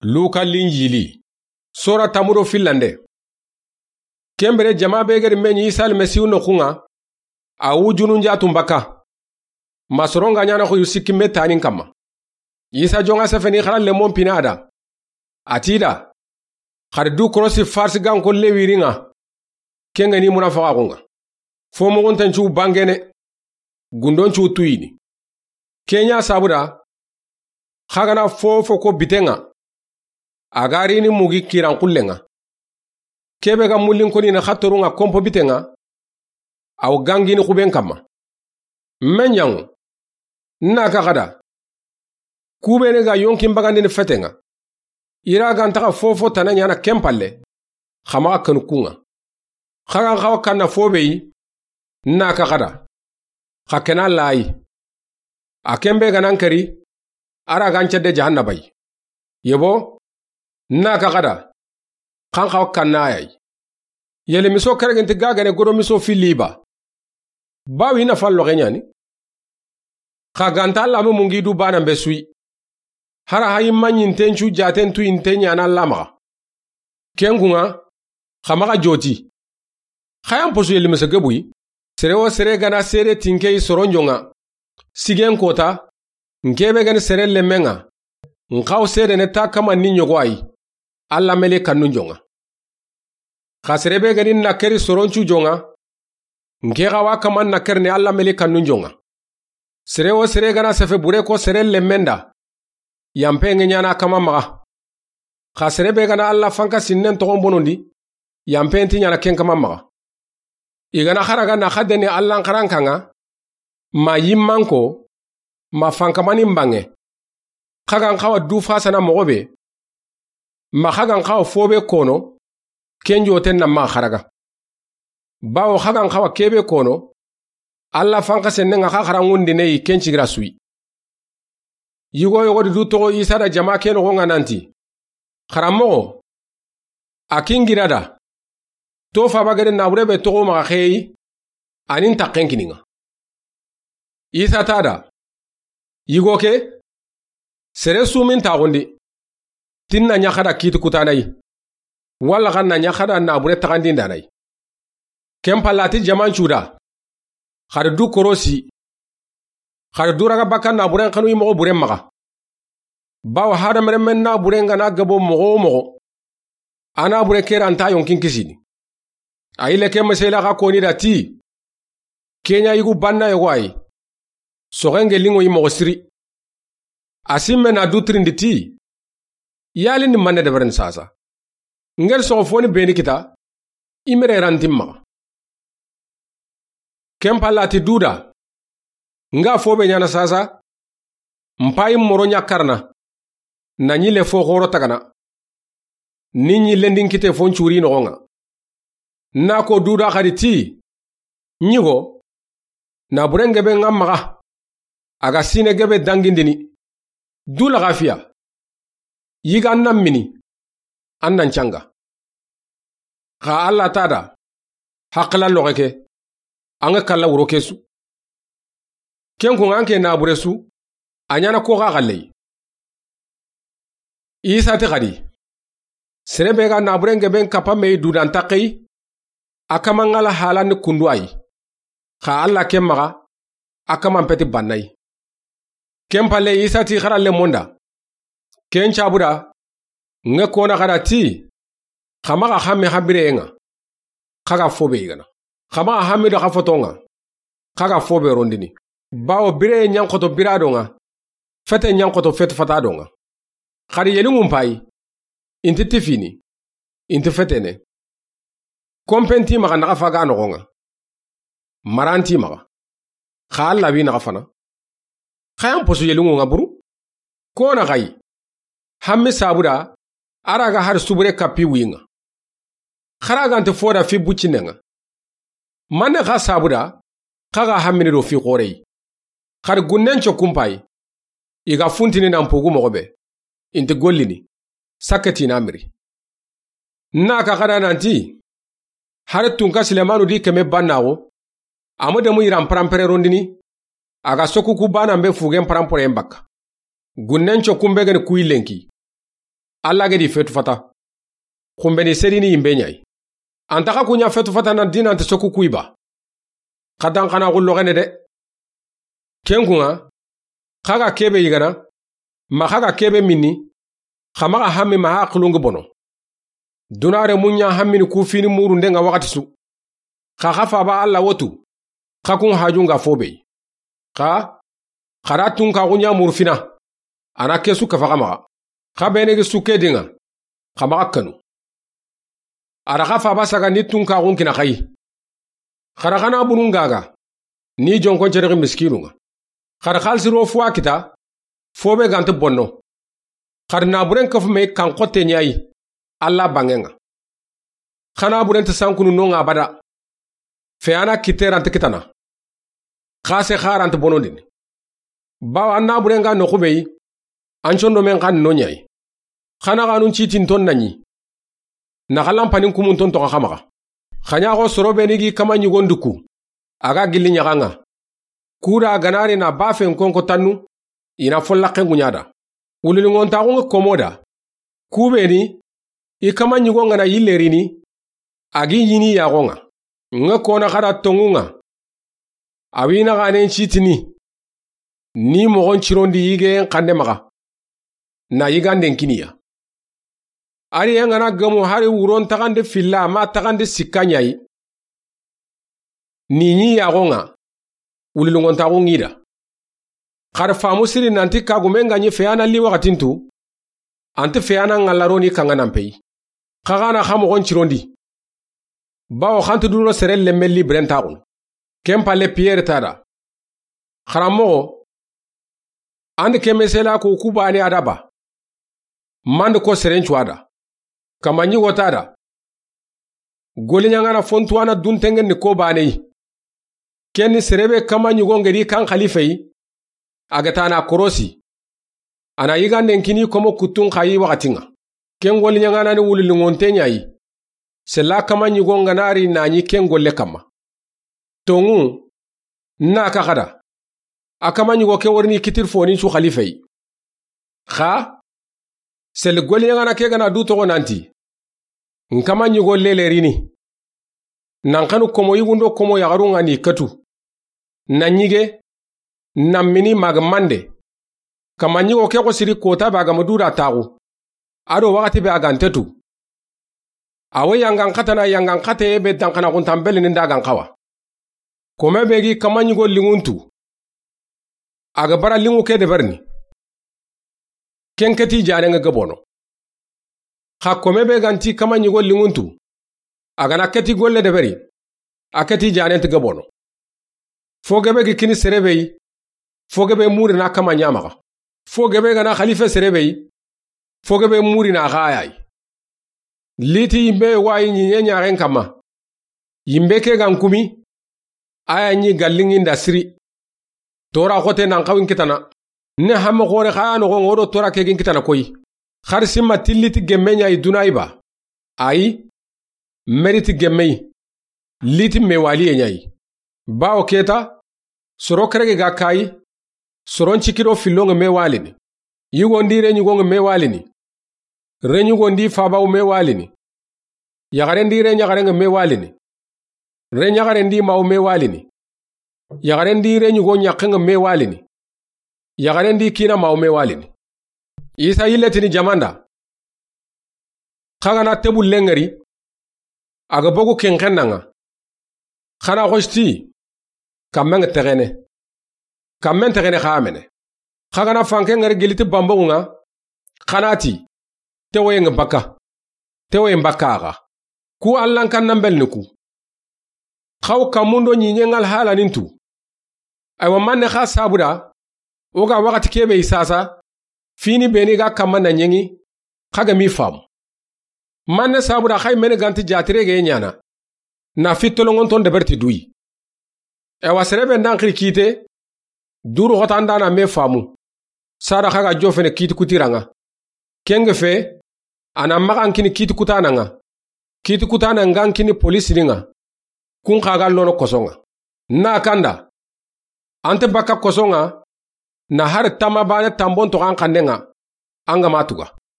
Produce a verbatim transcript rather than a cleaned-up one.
Luka Linjili. Sora tanmu do fillande. Ken bire jama be ga ri me ɲi Isa Almasihu noxun ŋa, a wujunu n jaatun bakka. Ma soron ga ɲaana xoyu sikki me taanin kanma. Isa jonŋa sefeni xara lemon pina a da. A ti i da: Xa di du korosi Farisi ganko Lewi ri ŋa, ken ga ni munafaxaxun ŋa. Fo moxunten cu bangene, gundon cu tuyini. Ken ɲa sabu da, xa ga na fo wo fo ko biten ŋa, a ga rini mugi kiran xullen ŋa. Ke be ga mullin koni na xa torun ŋa konpo biten ŋa, a wo gangini xuben kanma. Me ɲaŋo, n na ka xa da: Ku beene ga yonkin bagandini feten ŋa, i ra ga nta xa fo wo fo tana ɲaana ken palle, xa maxa kanu kun ŋa. Xa ga n xawa kanna fo be yi, n na ka xa da: Xa ke na laayi. A ken be ga na n keri, a ra ga n cedde jahannaba yi. Yebo, n na ka xa da: Xa n xawa kanna a ya yi. Yele miso kereginti ga gene godo miso filli ba? Bawo i na falloxe ɲaani. Xa ga nta Alla me mungi du baanan be su yi. Hara hayi ma ɲinten cu jaaten tuyinte ɲaana Alla maxa. Ken kun ŋa, xa maxa joti. Xa yan posu yeli mese gebu yi. Sere wo sere ga na seede ti n ke yi soron jonŋa, sigen kota, n ke be ga ni sere lemmen ŋa, n xawa seedene ta kaman ni ɲogo a yi, Alla meli kannun jonŋa. Xa sere be ga ni na keri soron cu jonŋa, n ke xawa kaman na kerini Alla meli kannun jonŋa. Sere wo sere ga na sefe bure ko sere lemmen da, yanpe ŋa ɲaana a kaman maxa. Xa sere be ga na Alla fanka sinnen toxon bonondi, yanpe nti ɲaana ken kaman maxa. I ga na xaraga na xa deni Allan xarankan ŋa, ma yimman ko, ma fankamanin banŋe. Xa ga n xawa du fasana moxo be, ma xa ga n xawa fo be kono, ken joten na maxa xaraga. Bawo xa ga n xawa ke be kono, Alla fanka sennen ŋa xa xarangundine yi ken cigira su yi. Yigo yogo di du toxo Isa da jama ke noxon ŋa nanti: Xaranmoxo, a kin gira da, to faaba ga da naabure be toxo maxa xeyi, a ni n taxen kini n ŋa. Isa ti a da: Yigo ke, sere su ma n taxundi ti n na ɲa xa da kiiti kutana yi, walla xa n na ɲa xa da naabure taxandindana yi. Ken palle a ti jaman cu da: Xa di du korosi, xa di du raga bakka naaburen xanu yi moxo buren maxa. Bawo hadamarenmen naaburen ga na gabo moxo wo moxo, a naabure ke ra nta yonkin kisini. A yille ke mesela xa koni da ti: Ke ɲa yigu banna yogo a yi, soxen gelli ŋo yi moxo siri. A simme na du tirindi ti: Yali ni manne deberini sasa? N ga da soxo foni beni kita, i mere ra nti n maxa. Ken palle a ti du da: N ga fo be ɲaana sasa, n payi moro ɲa karana, na ɲille fo xoro tagana, ni ɲillen di n kite fo n curi noxon ŋa. N na ko du da xa di ti: Ɲigo, naaburen gebe ŋa maxa, a ga sine gebe dangindini, du laxafiya, yiga an na mini, an na n canga. Xa Alla ti a da: Haqila loxe ke, an ga kalla wuro ke su. Ken kun ŋa an ke naabure su, a ɲaana ko xa xalle yi. Isa ti xa di: Sere be ga naaburen geben kappa me yi dudan taxe yi, a kaman ŋa la halandi kundu a yi. Xa Alla ken maxa, a kaman peti banna yi. Ken palle Isa ti xara lemon da: Ken cabu da, n ga kona xa da ti: Xa maxa hammi xa bireyen ŋa, xa ga fo be yigana. Xa maxa hammi do xa foton ŋa, xa ga fo be rondini. Bawo bireye ɲa n xoto biradon ŋa, fete ɲa n xoto fete fatadon ŋa. Xa di yelinŋun payi, i nti tifini, i nti fetene. Konpe nti i maxa naxa fa ga noxon ŋa. Mara nti i maxa. Xa Alla wi naxa fana. Xa yan posu yelinŋun ŋa buru. Kona xa yi: Hammi sabu da, a ra ga hari subure kappi wi ŋa. Xa ra ga nti fo da fi buccinen ŋa. Manne xa sabu da, xa ga hammini do fi xore yi? Xa di gunnen cokkun payi, i ga funtini nan pugu moxo be, i nti gollini, sakke ti na miri. N na ka xa da nanti, hari tunka Silemanu di keme bannaxu, a ma demu yiran paranpere rondini, a ga sokuku banan be fugen paranporeyen bakka. Gunnen cokkun be geni kuyi lenki. Alla ga di fetu fata. Xunbeni serini yinbe ɲa yi. An ta xa ku ɲa fetu fata nan dinanti soku kuyi ba. Xa dan xana xullo xene de. Ken kuŋa, xa ga kebe yigana, ma xa ga kebe minni, xa maxa hammi ma haqilungi bono. Dunare muɲa hammini ku fini murunde ŋa waxati su. Xa xa faba Alla wotu, xa kun hajunga fobe. Xa, xa da tunka ku ɲa muru fina, a na kesu kafa xa maxa. Xa bene gi suke dinŋa, xa maxa kanu. A da xa faba saga ni tunka kun kina xayi. Xa da xana bunun gaga, ni jonkon cerexi miskinu ŋa. Xa da xalisi ro fuwa kita, fobe ganta bonno. Xa da naburen kafu me kan xotte ɲa yi, Alla banŋen ŋa. Xana burenti sankunu non ŋa abada. Fe ana kite ranta kitana. Xa se xa ranta bonondini. Bawo an naburen ga noxu be yi, an condo men xan no ɲa yi. Xana xanun citin ton na ɲi. Na xa lampanin kumun ton toxa xa maxa. Xa ɲa xo soro beni gi kama ɲigon duku. A ga gilli ɲaxan ŋa. Ku da ganari na bafen konko tannu, i na follaxen ŋuɲa da. Wuliliŋontaxun ŋa komo da. Ku beni, i kama ɲigon ŋa na yille rini, a gi ɲini yaxon ŋa. Ŋa kona xa da tonŋun ŋa. A wi na xanen citini. Ni moxon cirondi yigen xande maxa. Na yiganden kiniya. Ari yan ŋa na gemu hari wuron taxande filla ma taxande sikka ɲa yi. Ni ɲi yaxon ŋa, wuliliŋontaxun ŋi da. Xa da famu siri nanti kagumen ga ɲi feyana li waxatintu, anti feyana ŋalla roni kanŋa nan peyi. Xa xana xa moxon cirondi. Bawo xanti duno sere lemme li birentaxun. Ken palle Piyere ta da. Xaranmoxo, andi ke mesela ko ku bane a da ba. Mandi ko seren cuwa da. Kama ɲigo ta da. Goliɲaŋana fontuwana duntengen ni ko bane yi. Ken ni serebe kama ɲigo ngedi kan xalife yi. A ga tana korosi. A na yiganden kini komo kuttun xayi waxatin ŋa. Ken goliɲaŋana ni wuliliŋonte ɲa yi. Sella kama ɲigo ŋa na ri na ɲi ken golle kamma. Tonŋu, na ka xa da. A kama ɲigo ke warini kitir fonin su xalife yi. Xa, seli goliɲaŋana ke ga na du toxo nanti. N kama ɲigo lele rini. Nan xanu komo yigundo komo yaxarun ŋa ni katu. Na ɲige, na mini maga mande. Kama ɲigo ke xo siri kota be a ga ma du da taxu. A do waxati be a ga ntetu. A wo yangan xatana yangan xate be danxana xuntan bele ni da gan xawa. Kome be gi kama ɲigo liŋuntu. A ga bara liŋu ke deberini. Ken keti janen ŋa gabono. Xa kome be ganti kama ɲigo liŋuntu. A ga na keti golle deberi. A keti janen ti gabono. Fo gebe gi kini serebe yi. Fo gebe muri na kama ɲamaxa. Fo gebe ga na xalife serebe yi. Fo gebe muri na xayayi. Liti yimbe wayi ɲiɲe ɲaxen kamma. Yimbe ke gan kumi. A ya ɲi galliŋi nda siri. Tora xote nan xawin kitana. Ne hamme xore xaya noxo ŋodo tora ke gin kitana koyi. Xari simma tilliti gemme ɲa yi duna yi ba. Ayi. Meriti gemme yi. Liti mewaliye ɲa yi. Bawo keta. Soro kerege ga kayi. Soron cikido fillo ŋa mewalini. Yigo ndi re ɲigo ŋa mewalini. Re ɲigo ndi fabawu mewalini. Yaxare ndi re ɲaxare ŋa mewalini. Re ɲaxare ndi mawu mewalini. Yaxare ndi re ɲigo ɲaxe ŋa mewalini. Yaxare ndi kina mawu mewalini. Isa yille tini jamanda. Xa ga na tebu lengeri. A ga bogu kenxen na ŋa. Xana xosti. Kammen ŋa texene. Kammen texene xa mene. Xa ga na fanke ŋari giliti bambogu ŋa. Xana ti. Tewoye ŋa baka. Tewoye baka axa. Ku allan kan nan belni ku. Xaw kamundo ɲiɲe ŋal halanintu. Aywa manne xa sabuda. O ga waxati kebe isasa. Fini beni ga kamma na ɲeŋi. Xa ga mi famu. Manne sabuda xay mene ganti jatire ge ɲana. Na fitolongonton deberti duyi. Ewa serebe ndan xiri kite. Duru xotandana me famu. Sada xa ga jofene kiti kutiraŋa. Kenge fe. A na maxan kini kiti kutanaŋa. Kiti kutana ngan kini polisiniŋa. Kun xa ga lono kosoŋa. Na kanda. Ante baka kosoŋa. Na har tama bane tambon to an kandeŋa. An ga matuga.